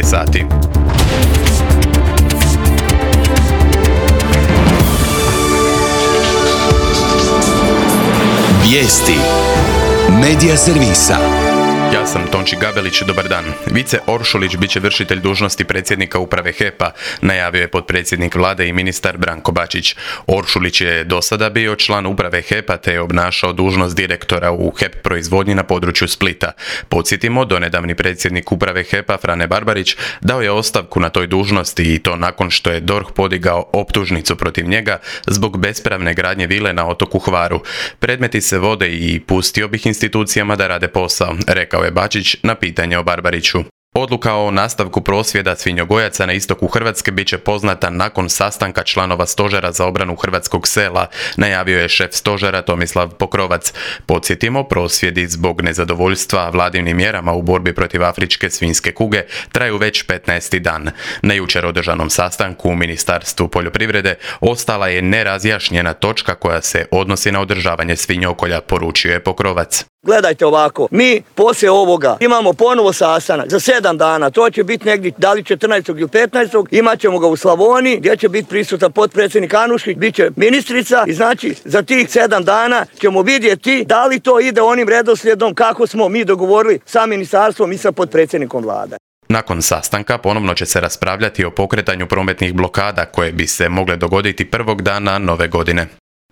sati. Vijesti Medija servisa. Ja sam Tonči Gabelić, dobar dan. Vice Oršulić bit će vršitelj dužnosti predsjednika uprave HEP-a, najavio je potpredsjednik vlade i ministar Branko Bačić. Oršulić je do sada bio član uprave HEP-a te je obnašao dužnost direktora u HEP proizvodnji na području Splita. Podsjetimo, donedavni predsjednik uprave HEP-a Frane Barbarić dao je ostavku na toj dužnosti i to nakon što je DORH podigao optužnicu protiv njega zbog bespravne gradnje vile na otoku Hvaru. Predmeti se vode i pustio bih institucijama da rade posao, rekao je Bačić na pitanje o Barbariću. Odluka o nastavku prosvjeda svinjogojaca na istoku Hrvatske bit će poznata nakon sastanka članova Stožera za obranu hrvatskog sela, najavio je šef stožera Tomislav Pokrovac. Podsjetimo, prosvjedi zbog nezadovoljstva vladinim mjerama u borbi protiv afričke svinjske kuge traju već 15. dan. Na jučer održanom sastanku u Ministarstvu poljoprivrede ostala je nerazjašnjena točka koja se odnosi na održavanje svinjokolja, poručio je Pokrovac. Gledajte ovako, mi poslije ovoga imamo ponovo sastanak za 7 dana, to će biti negdje da li 14. ili 15. Imat ćemo ga u Slavoniji gdje će biti prisutan potpredsjednik Anušić, bit će ministrica i znači za tih 7 dana ćemo vidjeti da li to ide onim redoslijedom kako smo mi dogovorili sa ministarstvom i sa potpredsjednikom vlade. Nakon sastanka ponovno će se raspravljati o pokretanju prometnih blokada koje bi se mogle dogoditi prvog dana nove godine.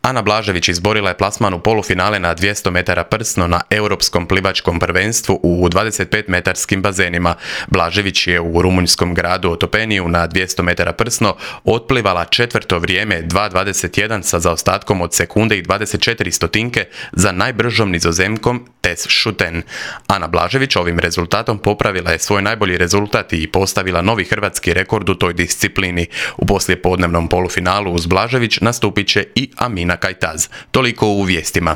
Ana Blažević izborila je plasman u polufinale na 200 metara prsno na Europskom plivačkom prvenstvu u 25-metarskim bazenima. Blažević je u rumunjskom gradu Otopeniju na 200 metara prsno otplivala četvrto vrijeme 2.21 sa zaostatkom od sekunde i 24 stotinke za najbržom Nizozemkom Tess Schutten. Ana Blažević ovim rezultatom popravila je svoj najbolji rezultat i postavila novi hrvatski rekord u toj disciplini. U poslijepodnevnom polufinalu uz Blažević nastupit će i Amina Kajtaz. Toliko u vijestima.